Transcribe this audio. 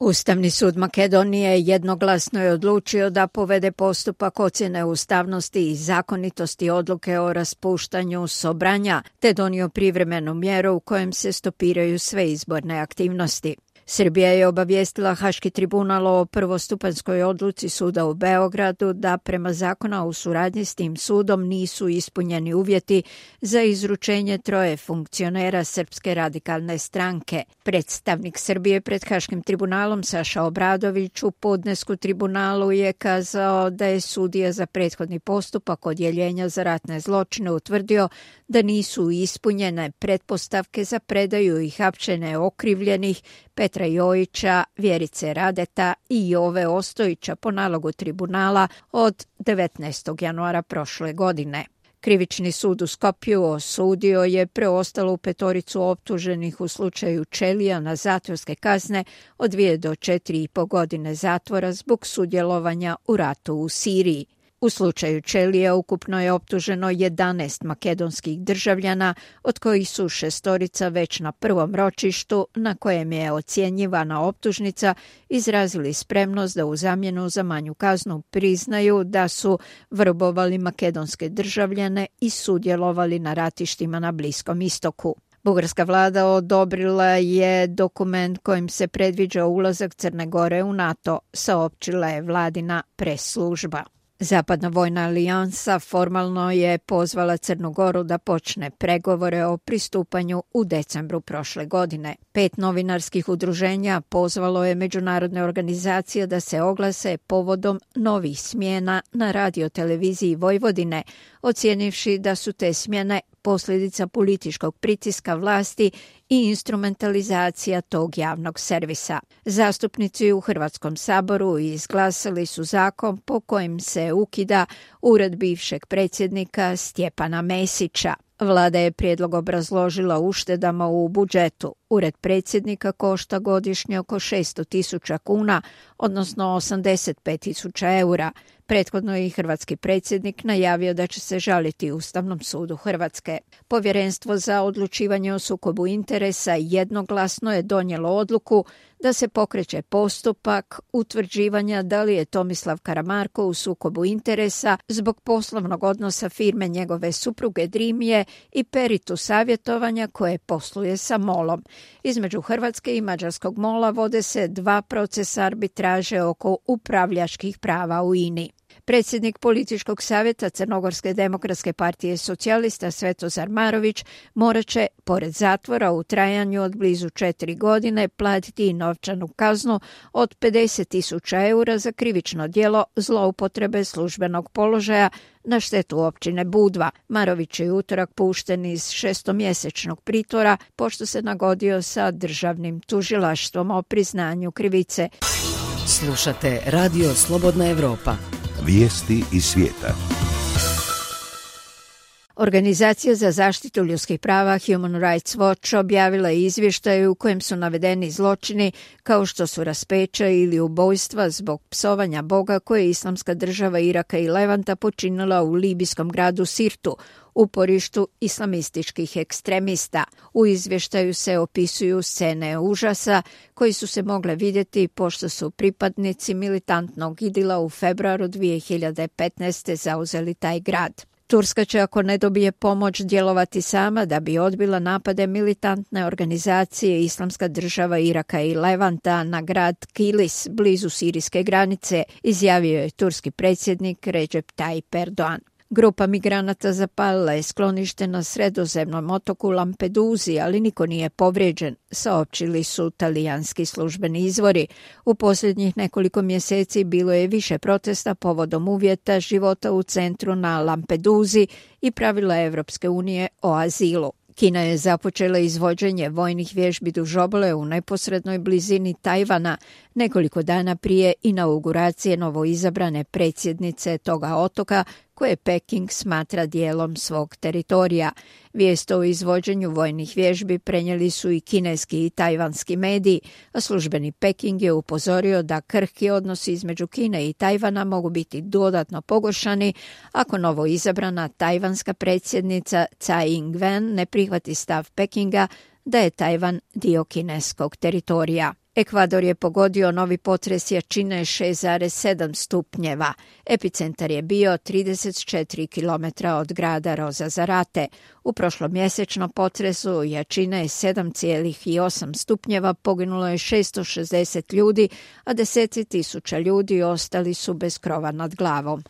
Ustavni sud Makedonije jednoglasno je odlučio da povede postupak ocjene ustavnosti i zakonitosti odluke o raspuštanju Sobranja, te donio privremenu mjeru u kojem se stopiraju sve izborne aktivnosti. Srbija je obavijestila Haški tribunal o prvostupanjskoj odluci suda u Beogradu da prema zakona u suradnji s tim sudom nisu ispunjeni uvjeti za izručenje 3 funkcionera Srpske radikalne stranke. Predstavnik Srbije pred Haškim tribunalom Saša Obradović u podnesku tribunalu je kazao da je sudija za prethodni postupak odjeljenja za ratne zločine utvrdio da nisu ispunjene pretpostavke za predaju i hapšenje okrivljenih Petra Jojića, Vjerice Radeta i Jove Ostojića po nalogu tribunala od 19. januara prošle godine. Krivični sud u Skopju osudio je preostalu 5 optuženih u slučaju Čelija na zatvorske kazne od 2 do 4,5 godine zatvora zbog sudjelovanja u ratu u Siriji. U slučaju Čelija ukupno je optuženo 11 makedonskih državljana, od kojih su 6 već na prvom ročištu na kojem je ocjenjivana optužnica izrazili spremnost da u zamjenu za manju kaznu priznaju da su vrbovali makedonske državljane i sudjelovali na ratištima na Bliskom istoku. Bugarska vlada odobrila je dokument kojim se predviđa ulazak Crne Gore u NATO, saopćila je vladina pres služba. Zapadna vojna alijansa formalno je pozvala Crnu Goru da počne pregovore o pristupanju u decembru prošle godine. 5 novinarskih udruženja pozvalo je međunarodne organizacije da se oglase povodom novih smjena na radioteleviziji Vojvodine, ocijenivši da su te smjene posljedica političkog pritiska vlasti i instrumentalizacija tog javnog servisa. Zastupnici u Hrvatskom saboru izglasali su zakon po kojim se ukida ured bivšeg predsjednika Stjepana Mesića. Vlada je prijedlog obrazložila uštedama u budžetu. Ured predsjednika košta godišnje oko 600.000 kuna, odnosno 85.000 eura. Prethodno je i hrvatski predsjednik najavio da će se žaliti Ustavnom sudu Hrvatske. Povjerenstvo za odlučivanje o sukobu interesa jednoglasno je donijelo odluku da se pokreće postupak utvrđivanja da li je Tomislav Karamarko u sukobu interesa zbog poslovnog odnosa firme njegove supruge Drimije i Peritu savjetovanja koje posluje sa MOL-om. Između Hrvatske i mađarskog MOL-a vode se 2 procesa arbitraže oko upravljačkih prava u INI. Predsjednik političkog savjeta Crnogorske demokratske partije socijalista Svetozar Marović morat će, pored zatvora u trajanju od blizu 4 godine, platiti i novčanu kaznu od 50.000 eura za krivično djelo zloupotrebe službenog položaja na štetu općine Budva. Marović je utorak pušten iz 6-mjesečnog pritvora pošto se nagodio sa državnim tužilaštvom o priznanju krivice. Slušate Radio Slobodna Evropa. Vijesti iz svijeta. Organizacija za zaštitu ljudskih prava Human Rights Watch objavila je izvještaj u kojem su navedeni zločini kao što su raspeća ili ubojstva zbog psovanja Boga koje je Islamska država Iraka i Levanta počinila u libijskom gradu Sirtu, uporištu islamističkih ekstremista. U izvještaju se opisuju scene užasa koji su se mogle vidjeti pošto su pripadnici militantnog idila u februaru 2015. zauzeli taj grad. Turska će, ako ne dobije pomoć, djelovati sama da bi odbila napade militantne organizacije Islamska država Iraka i Levanta na grad Kilis blizu sirijske granice, izjavio je turski predsjednik Recep Tayyip Erdogan. Grupa migranata zapalila je sklonište na sredozemnom otoku Lampeduzi, ali niko nije povrijeđen, saopćili su talijanski službeni izvori. U posljednjih nekoliko mjeseci bilo je više protesta povodom uvjeta života u centru na Lampeduzi i pravila Evropske unije o azilu. Kina je započela izvođenje vojnih vježbi duž obale u neposrednoj blizini Tajvana nekoliko dana prije inauguracije novoizabrane predsjednice toga otoka koje Peking smatra dijelom svog teritorija. Vijest o izvođenju vojnih vježbi prenijeli su i kineski i tajvanski mediji, a službeni Peking je upozorio da krhki odnosi između Kine i Tajvana mogu biti dodatno pogoršani ako novoizabrana tajvanska predsjednica Tsai Ing-wen ne prihvati stav Pekinga da je Tajvan dio kineskog teritorija. Ekvador je pogodio novi potres jačine 6,7 stupnjeva. Epicentar je bio 34 km od grada Rosa Zarate. U prošlomjesečnom potresu jačine 7,8 stupnjeva poginulo je 660 ljudi, a deseci tisuća ljudi ostali su bez krova nad glavom.